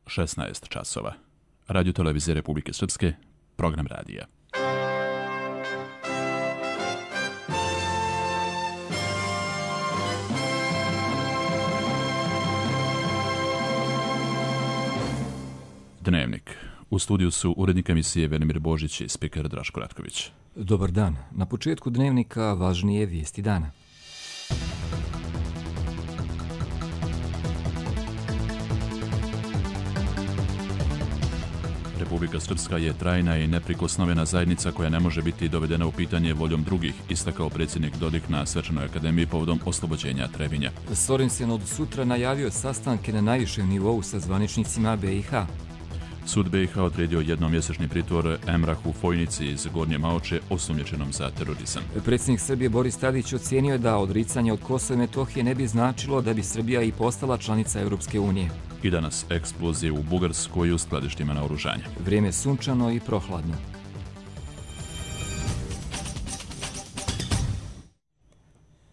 16 časova. Radio televizije Republike Srpske, program radija. Dnevnik. U studiju su urednik emisije Velimir Božić i spiker Draško Ratković. Dobar dan. Na početku Dnevnika važnije vijesti dana. Republika Srpska je trajna i neprikosnovena zajednica koja ne može biti dovedena u pitanje voljom drugih, istakao predsjednik Dodik na Svečanoj akademiji povodom oslobođenja Trebinja. Sorensen od sutra najavio sastanke na najvišem nivou sa zvaničnicima BiH. Sud BiH odredio jednomjesečni pritvor Emrahu Fojnici iz Gornje Maoče osumnjičenom za terorizam. Predsjednik Srbije Boris Tadić ocijenio je da odricanje od Kosova i Metohije ne bi značilo da bi Srbija i postala članica Europske unije. I danas eksplozije u Bugarskoj u skladištima naoružanja. Vrijeme sunčano i prohladno.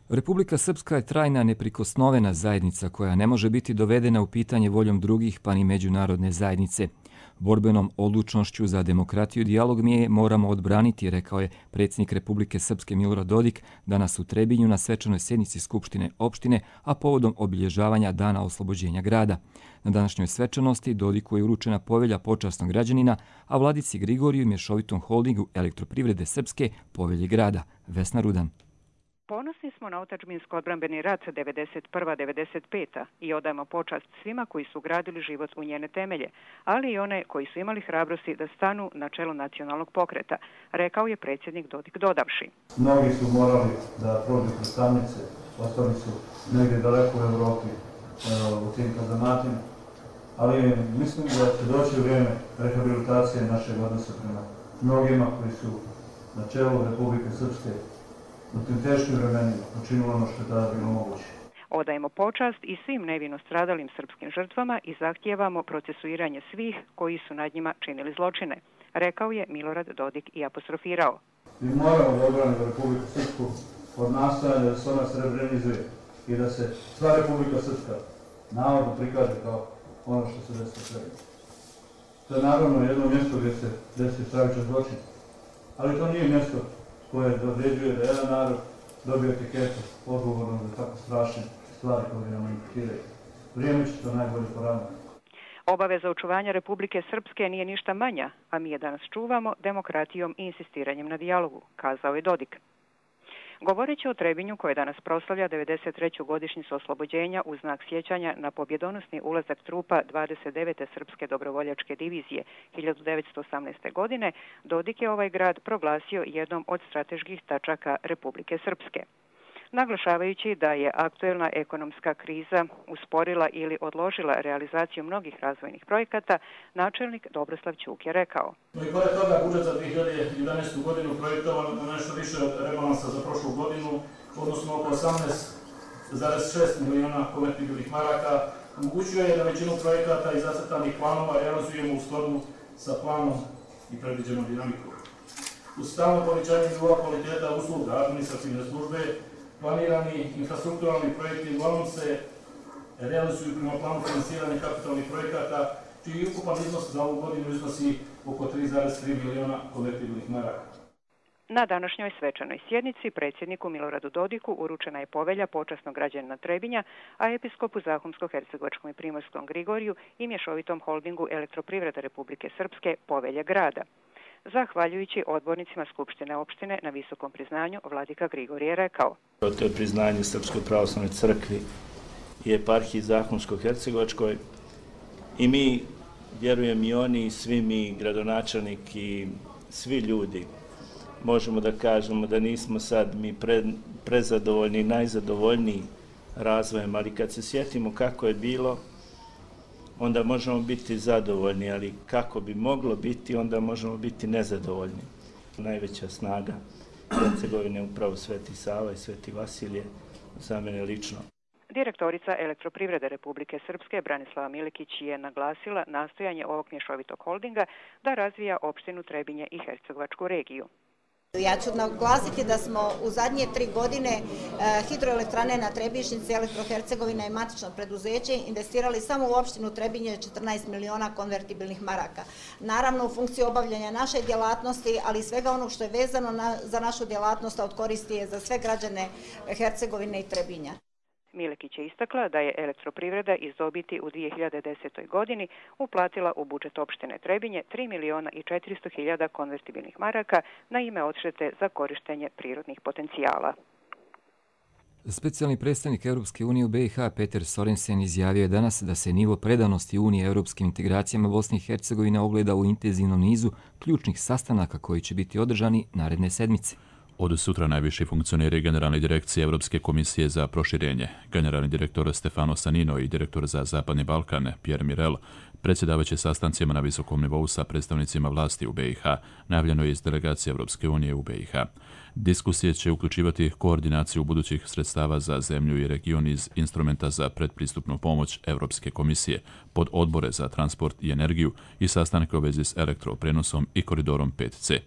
Republika Srpska je trajna neprikosnovena zajednica koja ne može biti dovedena u pitanje voljom drugih pa ni međunarodne zajednice. Borbenom odlučnošću za demokratiju i dijalog mi je moramo odbraniti, rekao je predsjednik Republike Srpske Milorad Dodik danas u Trebinju na svečanoj sjednici Skupštine opštine, a povodom obilježavanja Dana oslobođenja grada. Na današnjoj svečanosti Dodiku je uručena povelja počasnog građanina, a vladici Grigoriju i mješovitom holdingu Elektroprivrede Srpske povelje grada. Vesna Rudan. Ponosni smo na otadžbinsko-odbrambeni rat 91-95 i odajemo počast svima koji su gradili život u njene temelje, ali i one koji su imali hrabrosti da stanu na čelo nacionalnog pokreta, rekao je predsjednik Dodik dodavši. Mnogi su morali da prođu kroz tamnice, ostali su negdje daleko u Evropi, u tim kazamatima, ali mislim da će doći vrijeme rehabilitacije našeg odnosa prema mnogima koji su na čelu Republike Srpske u tim teškim vremenima učinilo ono što je tada bilo moguće. Odajemo počast i svim nevino stradalim srpskim žrtvama i zahtijevamo procesuiranje svih koji su nad njima činili zločine, rekao je Milorad Dodik i apostrofirao. Mi moramo da odbranimo Republiku Srpsku od nastojanja da se ona srebrenizuje i da se sva Republika Srpska navodno prikaže kao ono što se desilo Trebinju. To je naravno jedno mjesto gdje se desio stravičan zločin, ali to nije mjesto koje određuje da jedan narod dobije etiketu odgovorno za tako strašne stvari koje nam imputiraju. Vrijeme će to najbolje poravnati. Obaveza očuvanja Republike Srpske nije ništa manja, a mi je danas čuvamo demokratijom i insistiranjem na dijalogu, kazao je Dodik. Govoreći o Trebinju koje danas proslavlja 93. godišnjicu oslobođenja u znak sjećanja na pobjedonosni ulazak trupa 29. Srpske dobrovoljačke divizije 1918. godine, Dodik je ovaj grad proglasio jednom od strateških tačaka Republike Srpske. Naglašavajući da je aktuelna ekonomska kriza usporila ili odložila realizaciju mnogih razvojnih projekata, načelnik Dobroslav Ćuk je rekao. I pored toga budžet za 2011. godinu projektovan na nešto više od rebalansa za prošlu godinu, odnosno oko 18,6 miliona konvertibilnih maraka, omogućuje da većinu projekata i zacrtanih planova realizujemo u skladu sa planom i predviđenom dinamikom. Uz stalno povećanje nivoa kvaliteta usluga administrativne službe, planirani infrastrukturalni projekti uglavnom se realizuju prema planu finansiranja kapitalnih projekata, čiji ukupan iznos za ovu godinu iznosi oko 3,3 miliona konvertibilnih maraka. Na današnjoj svečanoj sjednici predsjedniku Miloradu Dodiku uručena je povelja počasnog građanina Trebinja, a episkopu Zahumsko-hercegovačkom i primorskom Grigoriju i mješovitom holdingu Elektroprivrede Republike Srpske povelje grada. Zahvaljujući odbornicima Skupštine opštine na visokom priznanju, vladika Grigorije je rekao. To je priznanje Srpskoj pravoslavnoj crkvi i eparhiji Zahumsko-hercegovačkoj i mi, vjerujem i oni, svi mi, gradonačelnik i svi ljudi, možemo da kažemo da nismo sad mi prezadovoljni, najzadovoljniji razvojem, ali kad se sjetimo kako je bilo, onda možemo biti zadovoljni, ali kako bi moglo biti, onda možemo biti nezadovoljni. Najveća snaga Hercegovine je upravo Sveti Sava i Sveti Vasilije, za mene lično. Direktorica Elektroprivrede Republike Srpske Branislava Milikić je naglasila nastojanje ovog mješovitog holdinga da razvija opštinu Trebinje i Hercegovačku regiju. Ja ću naglasiti da smo u zadnje 3 godine hidroelektrane na Trebišnjici, Elektrohercegovina i matično preduzeće investirali samo u opštinu Trebinje 14 miliona konvertibilnih maraka. Naravno u funkciji obavljanja naše djelatnosti, ali i svega onog što je vezano za našu djelatnost, a od koristi je za sve građane Hercegovine i Trebinja. Milekić je istakla da je elektroprivreda iz dobiti u 2010. godini uplatila u budžet opštine Trebinje 3 miliona i 400 hiljada konvertibilnih maraka na ime odštete za korištenje prirodnih potencijala. Specijalni predstavnik Europske unije u BiH Peter Sorensen izjavio je danas da se nivo predanosti Unije europskim integracijama Bosne i Hercegovine ogleda u intenzivnom nizu ključnih sastanaka koji će biti održani naredne sedmice. Od sutra najviši funkcioneri Generalne direkcije Europske komisije za proširenje, generalni direktor Stefano Sanino i direktor za Zapadni Balkan Pierre Mirel predsjedavaće sastancima na visokom nivou sa predstavnicima vlasti u BiH, najavljeno je iz delegacije Europske unije u BiH. Diskusije će uključivati koordinaciju budućih sredstava za zemlju i region iz instrumenta za predpristupnu pomoć Europske komisije, pod odbore za transport i energiju i sastanke u vezi s elektroprenosom i koridorom 5C.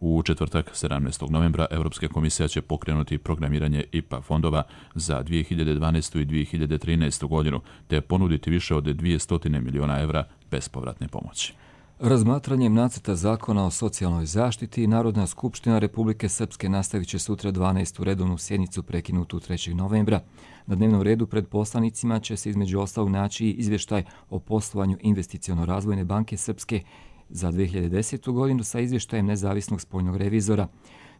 U četvrtak, 17. novembra, Europska komisija će pokrenuti programiranje IPA fondova za 2012. i 2013. godinu, te ponuditi više od 200 milijuna evra bespovratne pomoći. Razmatranjem nacrta zakona o socijalnoj zaštiti, Narodna skupština Republike Srpske nastavit će sutra 12. redovnu sjednicu prekinutu 3. novembra. Na dnevnom redu pred poslanicima će se između ostalog naći izvještaj o poslovanju Investiciono-razvojne banke Srpske za 2010. godinu sa izvještajem nezavisnog spoljnog revizora.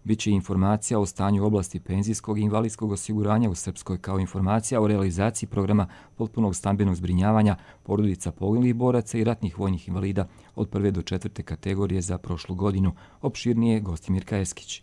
Biće informacija o stanju u oblasti penzijskog i invalidskog osiguranja u Srpskoj kao informacija o realizaciji programa potpunog stambenog zbrinjavanja porodica poginulih boraca i ratnih vojnih invalida od 1. do 4. kategorije za prošlu godinu. Opširnije Gostimir Kajeskić.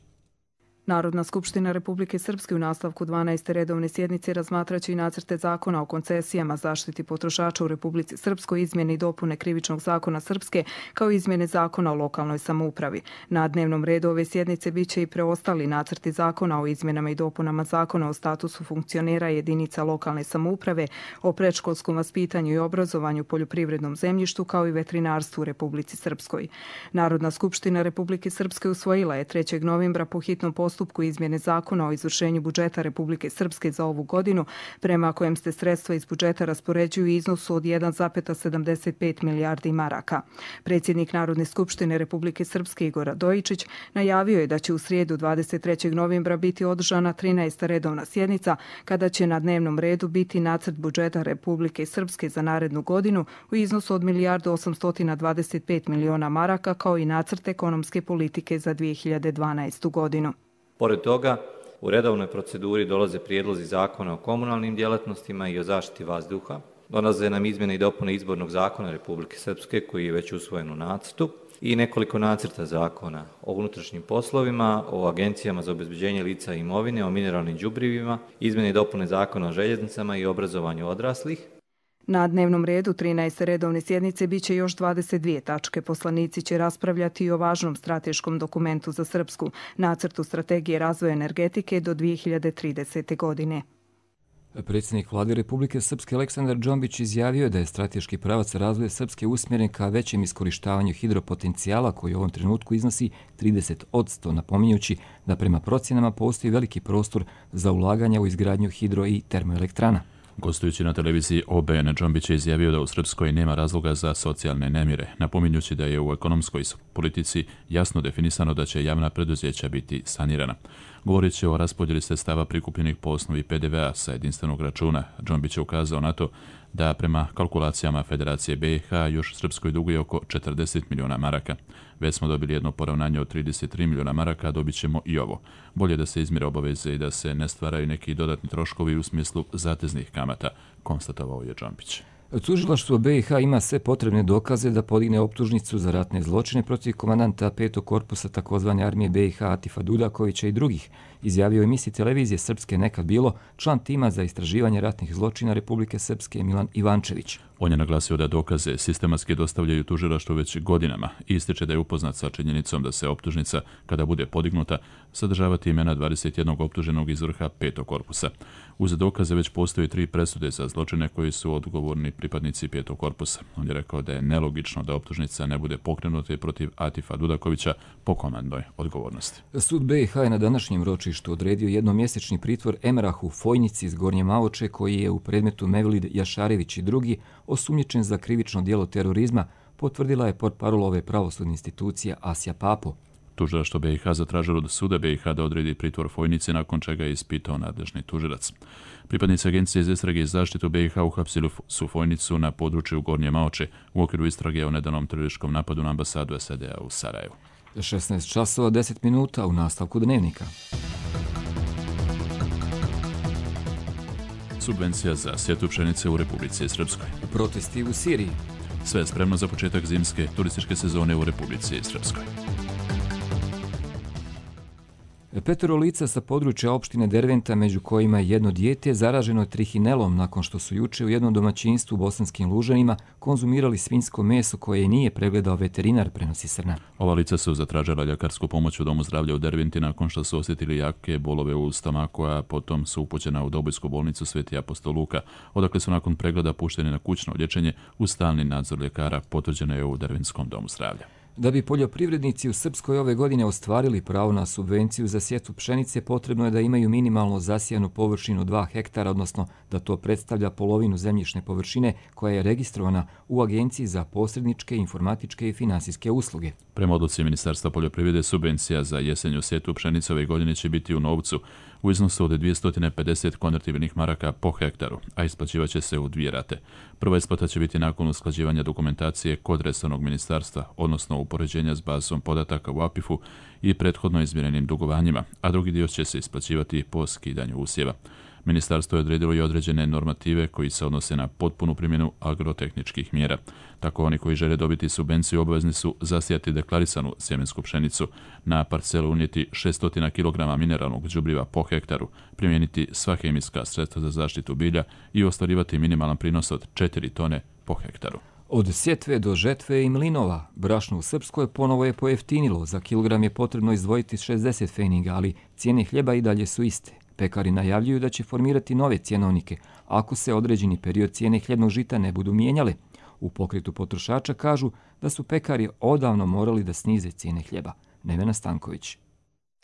Narodna skupština Republike Srpske u nastavku 12. redovne sjednice razmatraće i nacrte zakona o koncesijama, zaštiti potrošača u Republici Srpskoj, izmjene i dopune Krivičnog zakona Srpske, kao i izmjene zakona o lokalnoj samoupravi. Na dnevnom redu ove sjednice biće i preostali nacrti zakona o izmjenama i dopunama zakona o statusu funkcionera jedinica lokalne samouprave, o predškolskom vaspitanju i obrazovanju, poljoprivrednom zemljištu, kao i veterinarstvu u Republici Srpskoj. Narodna skupština Republike Srpske usvojila je 3. novembra po hitnom postupku izmjene zakona o izvršenju budžeta Republike Srpske za ovu godinu, prema kojem se sredstva iz budžeta raspoređuju u iznosu od 1,75 milijardi maraka. Predsjednik Narodne skupštine Republike Srpske Igor Radojičić najavio je da će u srijedu 23. novembra biti održana 13. redovna sjednica, kada će na dnevnom redu biti nacrt budžeta Republike Srpske za narednu godinu u iznosu od 1.825 miliona maraka, kao i nacrt ekonomske politike za 2012. godinu. Pored toga, u redovnoj proceduri dolaze prijedlozi zakona o komunalnim djelatnostima i o zaštiti vazduha. Dolaze nam izmjene i dopune izbornog zakona Republike Srpske koji je već usvojen u nacrtu i nekoliko nacrta zakona o unutrašnjim poslovima, o agencijama za obezbeđenje lica i imovine, o mineralnim đubrivima, izmjene i dopune zakona o željeznicama i obrazovanju odraslih. Na dnevnom redu 13. redovne sjednice biće još 22 tačke. Poslanici će raspravljati i o važnom strateškom dokumentu za Srpsku, nacrtu strategije razvoja energetike do 2030. godine. Predsjednik vlade Republike Srpske Aleksandar Džombić izjavio da je strateški pravac razvoja Srpske usmjeren ka većem iskorištavanju hidropotencijala koji u ovom trenutku iznosi 30%, napominjući da prema procjenama postoji veliki prostor za ulaganja u izgradnju hidro i termoelektrana. Gostujući na televiziji OBN, Džombić je izjavio da u Srpskoj nema razloga za socijalne nemire, napominjući da je u ekonomskoj politici jasno definisano da će javna preduzeća biti sanirana. Govorit će o raspodjeli sredstava prikupljenih po osnovi PDV-a sa jedinstvenog računa. Džombić je ukazao na to da prema kalkulacijama Federacije BiH još Srpskoj duguje oko 40 milijuna maraka. Već smo dobili jedno poravnanje od 33 milijuna maraka, a dobit ćemo i ovo. Bolje da se izmire obaveze i da se ne stvaraju neki dodatni troškovi u smislu zateznih kamata, konstatovao je Džombić. Tužilaštvo BiH ima sve potrebne dokaze da podigne optužnicu za ratne zločine protiv komandanta 5. korpusa tzv. armije BiH Atifa Dudakovića i drugih izjavio je emisiji televizije Srpske Nekad bilo član tima za istraživanje ratnih zločina Republike Srpske Milan Ivančević. On je naglasio da dokaze sistematski dostavljaju tužilaštvu već godinama i ističe da je upoznat sa činjenicom da se optužnica, kada bude podignuta, sadržavati imena 21 optuženog iz vrha 5. korpusa. Uz dokaze već postoji 3 presude za zločine koji su odgovorni pripadnici 5. korpusa. On je rekao da je nelogično da optužnica ne bude pokrenuta protiv Atifa Dudakovića po komandnoj odgovornosti. Sud BiH je na današnjem ročištu odredio jednomjesečni pritvor Emrahu Fojnici iz Gornje Maoče, koji je u predmetu Mevlid Jašarević i drugi osumnjičen za krivično djelo terorizma, potvrdila je portparolove pravosudne institucije Asja Papo. Tužilaštvo BiH zatražilo od suda BiH da odredi pritvor Fojnici, nakon čega je ispitao nadležni tužilac. Pripadnici Agencije za istrage i zaštitu BiH uhapsili su Fojnicu na području Gornje Maoče u okviru istrage o nedanom terorističkom napadu na ambasadu SAD-a u Sarajevu. 16 časova 10 minuta u nastavku dnevnika. Subvencija za sjetvu pšenice u Republici Srpskoj. Protesti u Siriji. Sve je spremno za početak zimske turističke sezone u Republici Srpskoj. 5 lica sa područja opštine Derventa, među kojima je jedno dijete, zaraženo je trihinelom nakon što su juče u jednom domaćinstvu u Bosanskim Lužanima konzumirali svinjsko meso koje nije pregledao veterinar, prenosi Srna. Ova lica su zatražila ljekarsku pomoć u Domu zdravlja u Derventi nakon što su osjetili jake bolove u stomaku, a potom su upućena u Dobojsku bolnicu Sveti apostol Luka, odakle su nakon pregleda pušteni na kućno liječenje uz stalni nadzor ljekara, potvrđeno je u Derventskom domu zdravlja. Da bi poljoprivrednici u Srpskoj ove godine ostvarili pravo na subvenciju za sjetvu pšenice, potrebno je da imaju minimalno zasijanu površinu 2 hektara, odnosno da to predstavlja polovinu zemljišne površine koja je registrovana u Agenciji za posredničke, informatičke i finansijske usluge. Prema odluci Ministarstva poljoprivrede, subvencija za jesenju sjetvu pšenice ove godine će biti u novcu u iznosu od 250 konvertibilnih maraka po hektaru, a isplaćivaće se u 2 rate. Prva isplata će biti nakon usklađivanja dokumentacije kod resornog ministarstva, odnosno upoređenja s bazom podataka u APIF-u i prethodno izmjerenim dugovanjima, a drugi dio će se isplaćivati po skidanju usjeva. Ministarstvo je odredilo i određene normative koji se odnose na potpunu primjenu agrotehničkih mjera. Tako oni koji žele dobiti subvenciju obavezni su zasijati deklarisanu sjemensku pšenicu, na parcelu unijeti 600 kg mineralnog đubriva po hektaru, primijeniti sva hemijska sredstva za zaštitu bilja i ostvarivati minimalan prinos od 4 tone po hektaru. Od sjetve do žetve i mlinova, brašno u Srpskoj ponovo je pojeftinilo. Za kilogram je potrebno izdvojiti 60 pfeniga, ali cijene hljeba i dalje su iste. Pekari najavljuju da će formirati nove cjenovnike ako se određeni period cijene hljebnog žita ne budu mijenjale. U pokretu potrošača kažu da su pekari odavno morali da snize cijene hljeba. Nevena Stanković.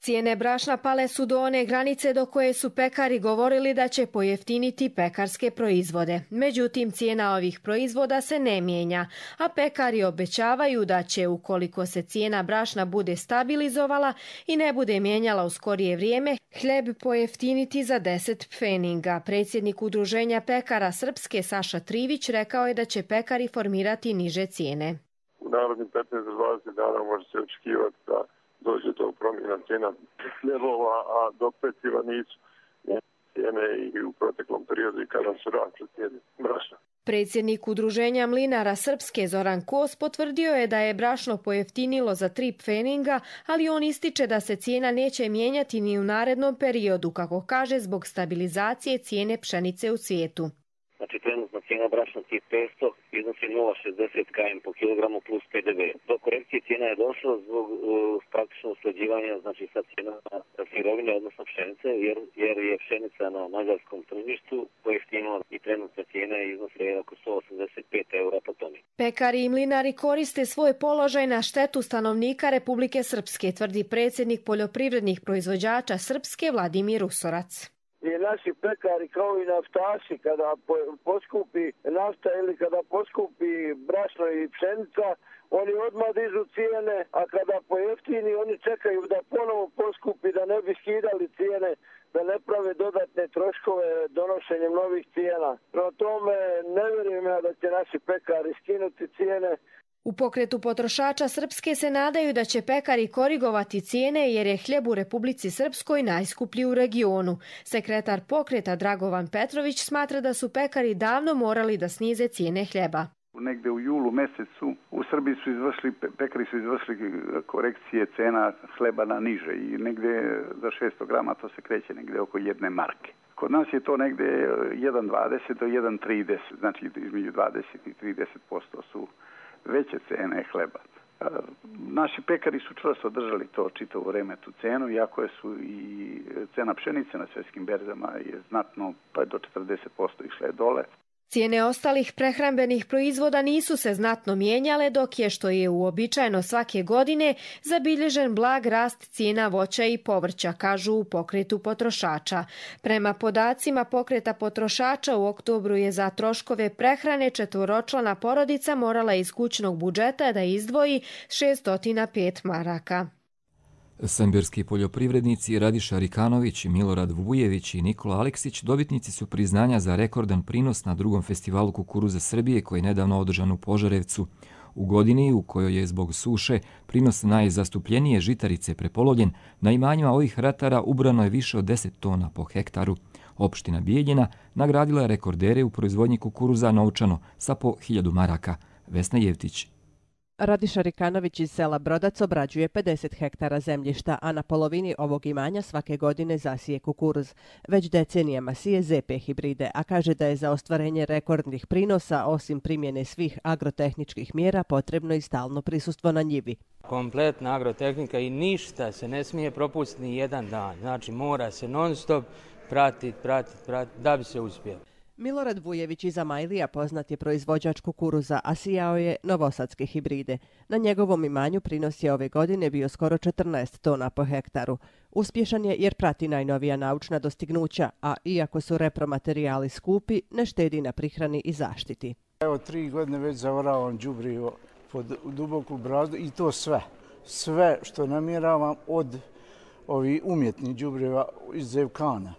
Cijene brašna pale su do one granice do koje su pekari govorili da će pojeftiniti pekarske proizvode. Međutim, cijena ovih proizvoda se ne mijenja, a pekari obećavaju da će, ukoliko se cijena brašna bude stabilizovala i ne bude mijenjala u skorije vrijeme, hljeb pojeftiniti za 10 pfeninga. Predsjednik Udruženja pekara Srpske Saša Trivić rekao je da će pekari formirati niže cijene. U narednih 15 do 20 dana može se očekivati da dođe do promjena cijena hljebova, a dok peciva nisu cijene i u proteklom periodu i kada su rasle cijene brašna. Predsjednik Udruženja mlinara Srpske Zoran Kos potvrdio je da je brašno pojeftinilo za 3 pfeninga, ali on ističe da se cijena neće mijenjati ni u narednom periodu, kako kaže, zbog stabilizacije cijene pšenice u svijetu. Znači, trenutna cijena brašna tip 500 iznosi 0,60 km po kilogramu plus PDV. Do korekcije cijena je došlo zbog praktično usklađivanja, znači, sa cijenama sirovine, odnosno pšenice, jer je pšenica na mađarskom tržištu pojeftinila i trenutna cijena iznosi oko 185 € po toni. Pekari i mlinari koriste svoj položaj na štetu stanovnika Republike Srpske, tvrdi predsjednik poljoprivrednih proizvođača Srpske Vladimir Usorac. I naši pekari kao i naftaši, kada poskupi nafta ili kada poskupi brašno i pšenica, oni odmah dižu cijene, a kada pojeftini oni čekaju da ponovo poskupi, da ne bi skidali cijene, da ne prave dodatne troškove donošenjem novih cijena. Prema tome ne vjerujem ja da će naši pekari skinuti cijene. U pokretu potrošača Srpske se nadaju da će pekari korigovati cijene jer je hljeb u Republici Srpskoj najskuplji u regionu. Sekretar pokreta Dragovan Petrović smatra da su pekari davno morali da snize cijene hljeba. Negde u julu mesecu u Srbiji pekari su izvršili korekcije cena hleba na niže i negde za 600 grama to se kreće negde oko 1 marke. Kod nas je to negde 1,20 do 1,30, znači između 20 i 30% su veće cene hleba. Naši pekari su čvrsto držali to čitavo vreme, tu cenu, iako su i cena pšenice na svjetskim berzama je znatno, pa do 40% išle dole. Cijene ostalih prehrambenih proizvoda nisu se znatno mijenjale, dok je, što je uobičajeno svake godine, zabilježen blag rast cijena voća i povrća, kažu u pokretu potrošača. Prema podacima pokreta potrošača, u oktobru je za troškove prehrane četvoročlana porodica morala iz kućnog budžeta da izdvoji 605 maraka. Semberski poljoprivrednici Radiša Rikanović, Milorad Vujević i Nikola Aleksić dobitnici su priznanja za rekordan prinos na drugom festivalu kukuruza Srbije koji je nedavno održan u Požarevcu. U godini u kojoj je zbog suše prinos najzastupljenije žitarice prepolovljen, na imanjima ovih ratara ubrano je više od 10 tona po hektaru. Opština Bijeljina nagradila je rekordere u proizvodnji kukuruza novčano sa po 1000 maraka. Vesna Jevtić. Radiša Rikanović iz sela Brodac obrađuje 50 hektara zemljišta, a na polovini ovog imanja svake godine zasije kukuruz. Već decenijama sije ZP hibride, a kaže da je za ostvarenje rekordnih prinosa, osim primjene svih agrotehničkih mjera, potrebno i stalno prisustvo na njivi. Kompletna agrotehnika i ništa se ne smije propustiti ni jedan dan. Znači mora se non stop pratiti da bi se uspjelo. Milorad Vujević iz Amajlija poznat je proizvođač kukuruza, a sijao je novosadske hibride. Na njegovom imanju prinos je ove godine bio skoro 14 tona po hektaru. Uspješan je jer prati najnovija naučna dostignuća, a iako su repromaterijali skupi, ne štedi na prihrani i zaštiti. Evo 3 godine već zavoravam đubrivo pod duboku brazdu i to sve. Sve što namjeravam od ovih umjetnih đubriva iz Zevkana.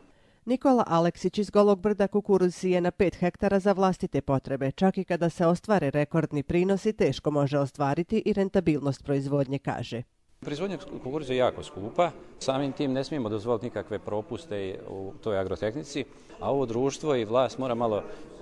Nikola Aleksić iz Golog Brda kukuruz sije na 5 hektara za vlastite potrebe. Čak i kada se ostvare rekordni prinosi, teško može ostvariti i rentabilnost proizvodnje, kaže. Proizvodnja kukuruza je jako skupa, samim tim ne smijemo dozvoliti nikakve propuste u toj agrotehnici, a ovo društvo i vlast mora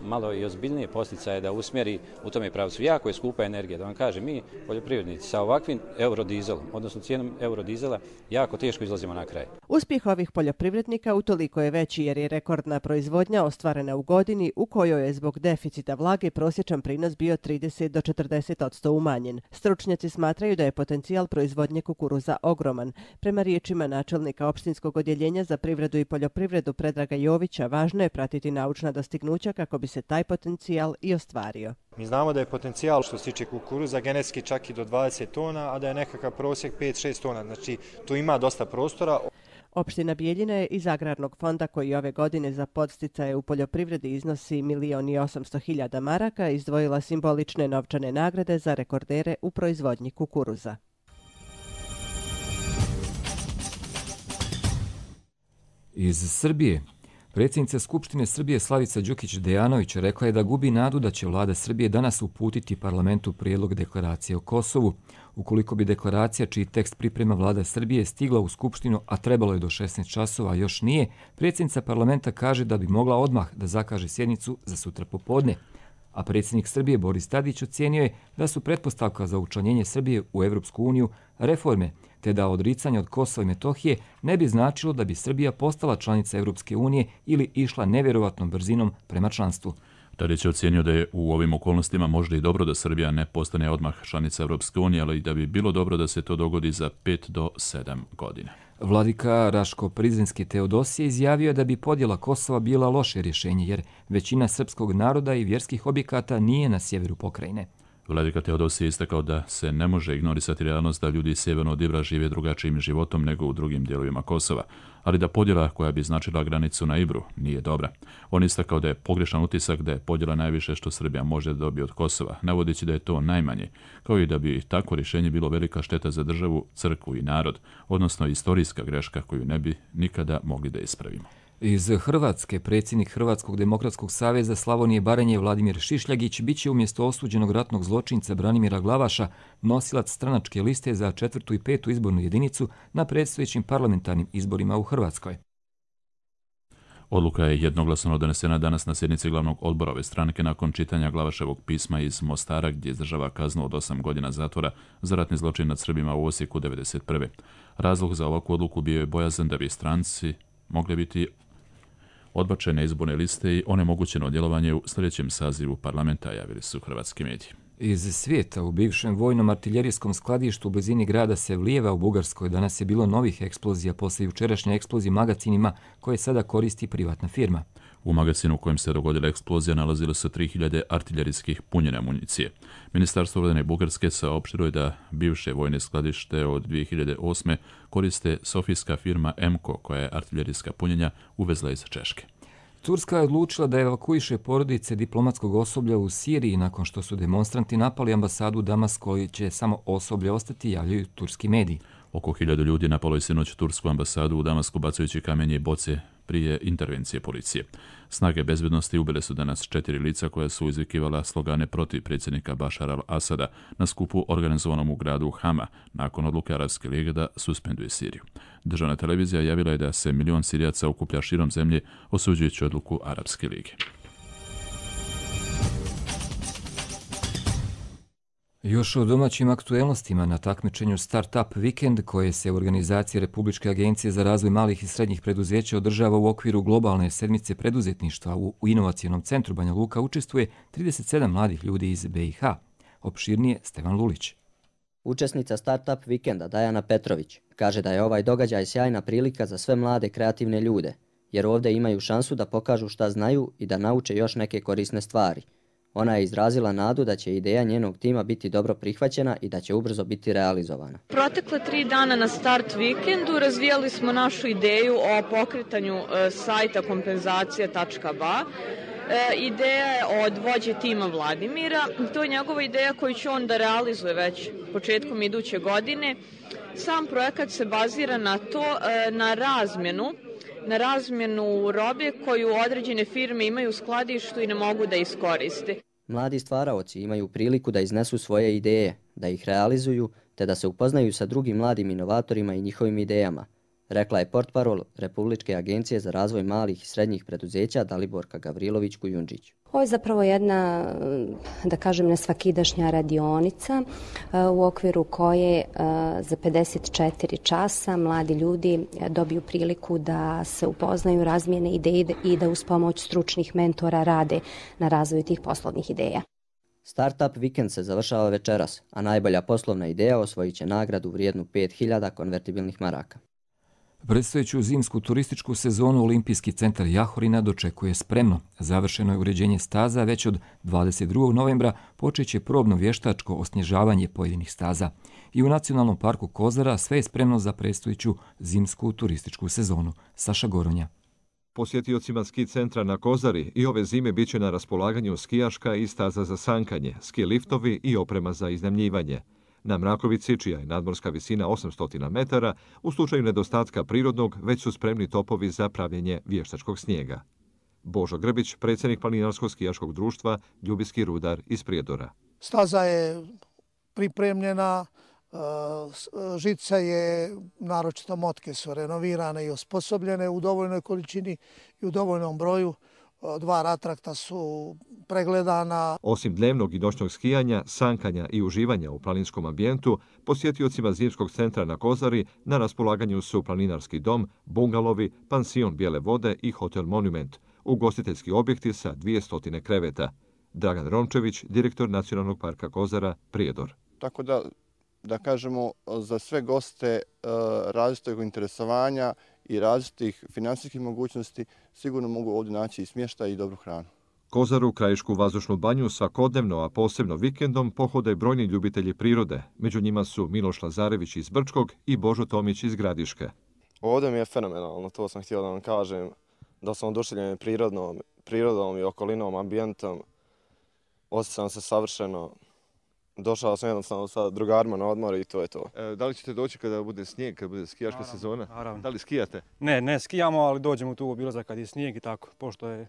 malo i ozbiljnije posticaje da usmjeri u tome pravcu. Jako je skupa energija, da vam kažem, mi poljoprivrednici sa ovakvim eurodizelom, odnosno cijenom eurodizela, jako teško izlazimo na kraj. Uspjeh ovih poljoprivrednika utoliko je veći jer je rekordna proizvodnja ostvarena u godini u kojoj je zbog deficita vlage prosječan prinos bio 30 do 40% umanjen. Stručnjaci smatraju da je potencijal proizvodnje kukuruza ogroman. Prema riječima načelnika opštinskog odjeljenja za privredu i poljoprivredu Predraga Jovića, važno je pratiti naučna dostignuća kako bi se taj potencijal i ostvario. Mi znamo da je potencijal što se tiče kukuruza genetski čak i do 20 tona, a da je nekakav prosjek 5-6 tona. Znači, tu ima dosta prostora. Opština Bijeljina je iz Agrarnog fonda koji ove godine za podsticaje u poljoprivredi iznosi 1.800.000 maraka izdvojila simbolične novčane nagrade za rekordere u proizvodnji kukuruza. Iz Srbije. Predsjednica Skupštine Srbije Slavica Đukić-Dejanović rekla je da gubi nadu da će vlada Srbije danas uputiti parlamentu prijedlog deklaracije o Kosovu. Ukoliko bi deklaracija, čiji tekst priprema vlada Srbije, stigla u Skupštinu, a trebalo je do 16 časova, a još nije, predsjednica parlamenta kaže da bi mogla odmah da zakaže sjednicu za sutra popodne. A predsjednik Srbije Boris Tadić ocijenio je da su pretpostavka za učlanjenje Srbije u Evropsku uniju reforme, te da odricanje od Kosova i Metohije ne bi značilo da bi Srbija postala članica Evropske unije ili išla nevjerovatnom brzinom prema članstvu. Tadić je ocijenio da je u ovim okolnostima možda i dobro da Srbija ne postane odmah članica Evropske unije, ali i da bi bilo dobro da se to dogodi za 5 do 7 godina. Vladika Raško-Prizrenski Teodosije izjavio da bi podjela Kosova bila loše rješenje, jer većina srpskog naroda i vjerskih objekata nije na sjeveru pokrajine. Vladika Teodosije je istakao da se ne može ignorisati realnost da ljudi sjeverno od Ibra žive drugačijim životom nego u drugim dijelovima Kosova, ali da podjela koja bi značila granicu na Ibru nije dobra. On je istakao da je pogrešan utisak da je podjela najviše što Srbija može da dobije od Kosova, navodeći da je to najmanje, kao i da bi takvo rješenje bilo velika šteta za državu, crkvu i narod, odnosno istorijska greška koju ne bi nikada mogli da ispravimo. Iz Hrvatske predsjednik Hrvatskog demokratskog saveza Slavonije Baranje Vladimir Šišljagić biće umjesto osuđenog ratnog zločinca Branimira Glavaša nosilac stranačke liste za 4. i 5. izbornu jedinicu na predstojećim parlamentarnim izborima u Hrvatskoj. Odluka je jednoglasno donesena danas na sjednici glavnog odbora ove stranke nakon čitanja Glavaševog pisma iz Mostara gdje izdržava kaznu od 8 godina zatvora za ratni zločin nad Srbima u Osijeku 1991. Razlog za ovakvu odluku bio je bojazan da bi stranci mogli biti odbačene izborne liste i onemogućeno djelovanje u sljedećem sazivu parlamenta, javili su hrvatski mediji. Iz svijeta u bivšem vojnom artiljerijskom skladištu u blizini grada Sevlijeva u Bugarskoj danas je bilo novih eksplozija poslije jučerašnje eksplozije magacinima koje sada koristi privatna firma. U magazinu u kojem se dogodila eksplozija nalazilo se 3000 artiljerijskih punjene municije. Ministarstvo obrane Bugarske saopštilo je da bivše vojne skladište od 2008. koriste sofijska firma Emco koja je artiljerijska punjenja uvezla iz Češke. Turska je odlučila da evakuiše porodice diplomatskog osoblja u Siriji nakon što su demonstranti napali ambasadu u Damasku, koji će samo osoblje ostati, javljaju turski mediji. Oko 1000 ljudi napalo je sinoć tursku ambasadu u Damasku bacajući kamenje i boce prije intervencije policije. Snage bezbednosti ubile su danas 4 lica koja su izvikivala slogane protiv predsjednika Bašara al-Asada na skupu organizovanom u gradu Hama nakon odluke Arapske lige da suspenduje Siriju. Državna televizija javila je da se 1 milion Sirijaca okuplja širom zemlje osuđujući odluku Arapske lige. Još o domaćim aktuelnostima na takmičenju Startup Weekend koje se u organizaciji Republičke agencije za razvoj malih i srednjih preduzeća održava u okviru globalne sedmice preduzetništva u inovacionom centru Banja Luka učestvuje 37 mladih ljudi iz BiH. Opširnije Stevan Lulić. Učesnica Startup Weekenda Dajana Petrović kaže da je ovaj događaj sjajna prilika za sve mlade kreativne ljude, jer ovdje imaju šansu da pokažu šta znaju i da nauče još neke korisne stvari. Ona je izrazila nadu da će ideja njenog tima biti dobro prihvaćena i da će ubrzo biti realizovana. Protekle 3 dana na Start Weekendu razvijali smo našu ideju o pokretanju sajta kompenzacija.ba. Ideja je od vođe tima Vladimira. To je njegova ideja koju će on da realizuje već početkom iduće godine. Sam projekat se bazira na to, na razmjenu robe koju određene firme imaju u skladištu i ne mogu da iskoriste. Mladi stvaraoci imaju priliku da iznesu svoje ideje, da ih realizuju, te da se upoznaju sa drugim mladim inovatorima i njihovim idejama, rekla je portparol Republičke agencije za razvoj malih i srednjih preduzeća Daliborka Gavrilović-Kujundžić. Ovo je zapravo jedna, da kažem, nesvakidašnja radionica u okviru koje za 54 časa mladi ljudi dobiju priliku da se upoznaju, razmijene ideje i da uz pomoć stručnih mentora rade na razvoju tih poslovnih ideja. Startup Weekend se završava večeras, a najbolja poslovna ideja osvojit će nagradu vrijednu 5000 konvertibilnih maraka. Predstojeću zimsku turističku sezonu Olimpijski centar Jahorina dočekuje spremno. Završeno je uređenje staza, već od 22. novembra počeće probno vještačko osnježavanje pojedinih staza. I u Nacionalnom parku Kozara sve je spremno za predstojeću zimsku turističku sezonu. Saša Goronja. Posjetiocima ski centra na Kozari i ove zime bit će na raspolaganju skijaška i staza za sankanje, ski liftovi i oprema za iznajmljivanje. Na Mrakovici, čija je nadmorska visina 800 metara, u slučaju nedostatka prirodnog već su spremni topovi za pravljenje vještačkog snijega. Božo Grbić, predsjednik Planinarskog skijaškog društva Ljubinski rudar iz Prijedora. Staza je pripremljena, žica je, naročito motke su renovirane i osposobljene u dovoljnoj količini i u dovoljnom broju. 2 ratrakta su pregledana. Osim dnevnog i noćnog skijanja, sankanja i uživanja u planinskom ambijentu, posjetiocima zimskog centra na Kozari na raspolaganju su planinarski dom, bungalovi, pansion Bijele vode i hotel Monument, ugostiteljski objekti sa 200 kreveta. Dragan Rončević, direktor Nacionalnog parka Kozara, Prijedor. Tako da kažemo, za sve goste različitog interesovanja i različitih financijskih mogućnosti sigurno mogu ovdje naći i smještaj i dobru hranu. Kozaru, krajišku vazdušnu banju svakodnevno, a posebno vikendom, pohode brojni ljubitelji prirode. Među njima su Miloš Lazarević iz Brčkog i Božo Tomić iz Gradiške. Ovdje mi je fenomenalno, to sam htio da vam kažem, da sam oduševljen prirodom i okolinom, ambijentom. Osjećam se savršeno. Došao sam jednostavno sa drugarima na odmor i to je to. Da li ćete doći kada bude snijeg, kada bude skijaška sezona? Naravno. Da li skijate? Ne skijamo, ali dođemo tu u obilazak kad je snijeg i tako. Pošto je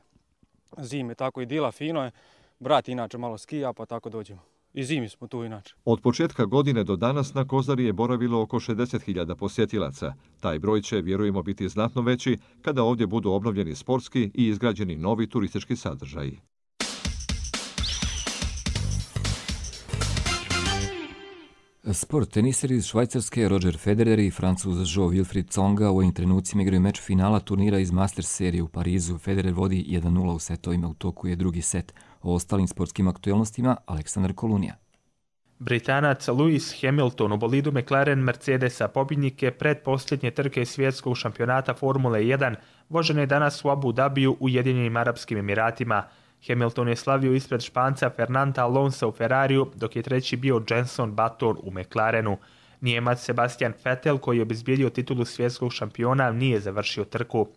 zime, tako i dila fino je. Brat inače malo skija, pa tako dođemo. I zimi smo tu inače. Od početka godine do danas na Kozari je boravilo oko 60.000 posjetilaca. Taj broj će, vjerujemo, biti znatno veći kada ovdje budu obnovljeni sportski i izgrađeni novi turistički sadržaji. Sport. Teniseri iz Švajcarske Roger Federer i Francuz Jo-Wilfried Tsonga u ovim trenucima igraju meč finala turnira iz Masters serije u Parizu. Federer vodi 1-0 u setovima, u toku je drugi set. O ostalim sportskim aktualnostima Aleksandar Kolunija. Britanac Lewis Hamilton u bolidu McLaren Mercedesa pobjednike predposljednje trke svjetskog šampionata Formule 1 vožen je danas u Abu Dhabiju u Ujedinjenim Arapskim Emiratima. Hamilton je slavio ispred Španca Fernanda Alonsa u Ferrariju, dok je treći bio Jenson Button u McLarenu. Nijemac Sebastian Vettel, koji je obezbijedio titulu svjetskog šampiona, nije završio trku.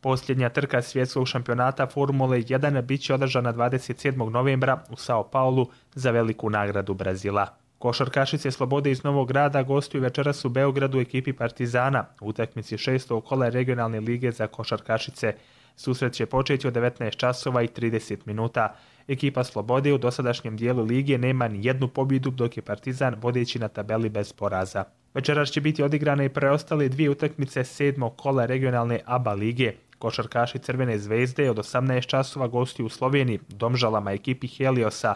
Posljednja trka svjetskog šampionata Formule 1 bit će održana 27. novembra u Sao Paulu za veliku nagradu Brazila. Košarkašice Slobode iz Novog Grada gostuju večeras u Beogradu ekipi Partizana u utakmici 6. kola regionalne lige za košarkašice. Susret će početi od 19 časova i 30 minuta. Ekipa Slobode u dosadašnjem dijelu lige nema ni jednu pobjedu, dok je Partizan vodeći na tabeli bez poraza. Večeras će biti odigrane i preostale dvije utakmice 7. kola regionalne ABA lige. Košarkaši Crvene zvezde od 18 časova gostuju u Sloveniji, Domžalama ekipi Heliosa.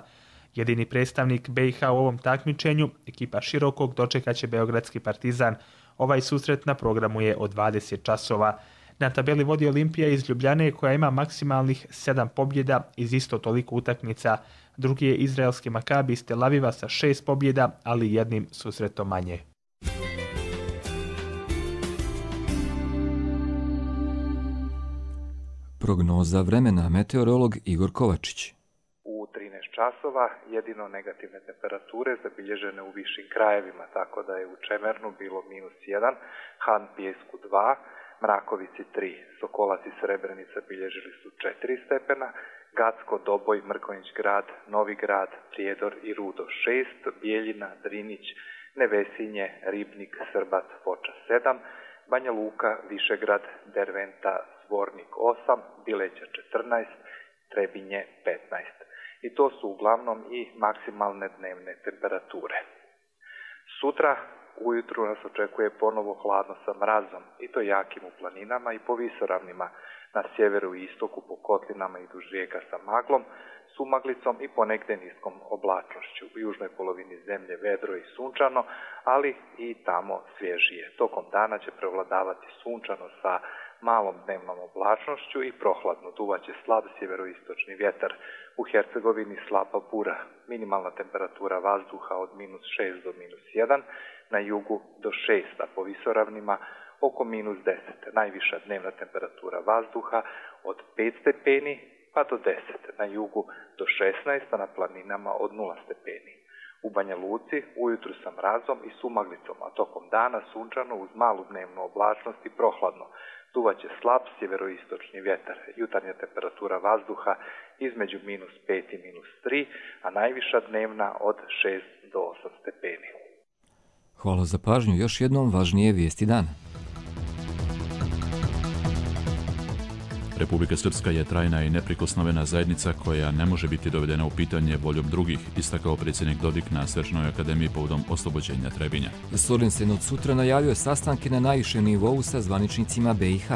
Jedini predstavnik BiH u ovom takmičenju, ekipa Širokog, dočekaće beogradski Partizan. Ovaj susret na programu je od 20 časova. Na tabeli vodi Olimpija iz Ljubljane koja ima maksimalnih 7 pobjeda iz isto toliko utakmica. Drugi je izraelski Makabi iz Tel Aviva sa 6 pobjeda, ali jednim susretom manje. Prognoza vremena, meteorolog Igor Kovačić. U 13 časova jedino negativne temperature zabilježene u višim krajevima, tako da je u Čemernu bilo -1, Han Pijesku 2, Mrakovici 3, Sokolac i Srebrenica bilježili su 4 stepena, Gacko, Doboj, Mrkonjić Grad, Novi Grad, Prijedor i Rudo 6, Bijeljina, Drinić, Nevesinje, Ribnik, Srbac, Foča 7, Banja Luka, Višegrad, Derventa, Zvornik 8, Bileća 14, Trebinje 15. I to su uglavnom i maksimalne dnevne temperature. Sutra ujutru nas očekuje ponovo hladno sa mrazom, i to jakim u planinama i po visoravnima, na sjeveru i istoku po kotlinama i duž rijeka sa maglom, sumaglicom i ponegdje niskom oblačnošću. U južnoj polovini zemlje vedro i sunčano, ali i tamo svježije. Tokom dana će prevladavati sunčano sa malom dnevnom oblačnošću i prohladno. Duvaće slab sjeveroistočni vjetar. U Hercegovini slaba bura. Minimalna temperatura vazduha od -6 do -1, na jugu do 6, a po visoravnima oko -10. Najviša dnevna temperatura vazduha od 5 stepeni pa do 10, na jugu do 16, a na planinama od 0 stepeni. U Banja Luci ujutru sa mrazom i sumaglicom, a tokom dana sunčano uz malu dnevnu oblačnost i prohladno. Duvaće slab sjeveroistočni vjetar. Jutarnja temperatura vazduha između -5 i -3, a najviša dnevna od 6 do 8 stepeni. Hvala za pažnju. Još jednom važnije vijesti dana. Republika Srpska je trajna i neprikosnovena zajednica koja ne može biti dovedena u pitanje voljom drugih, istakao predsjednik Dodik na Svečanoj akademiji povodom oslobođenja Trebinja. Sorensen od sutra najavio sastanke na najvišem nivou sa zvaničnicima BiH.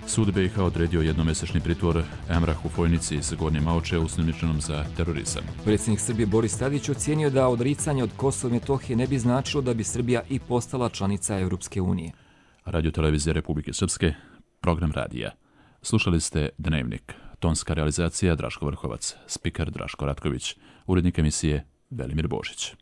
Sud BiH odredio jednomjesečni pritvor Emrahu Fojnici iz Gornje Maoče osumnjičenom za terorizam. Predsjednik Srbije Boris Tadić ocijenio da odricanje od Kosova i Metohije ne bi značilo da bi Srbija i postala članica Europske unije. Radio-televizija Republike Srpske, program radija. Slušali ste Dnevnik. Tonska realizacija Draško Vrhovac, spiker Draško Ratković, urednik emisije Velimir Božić.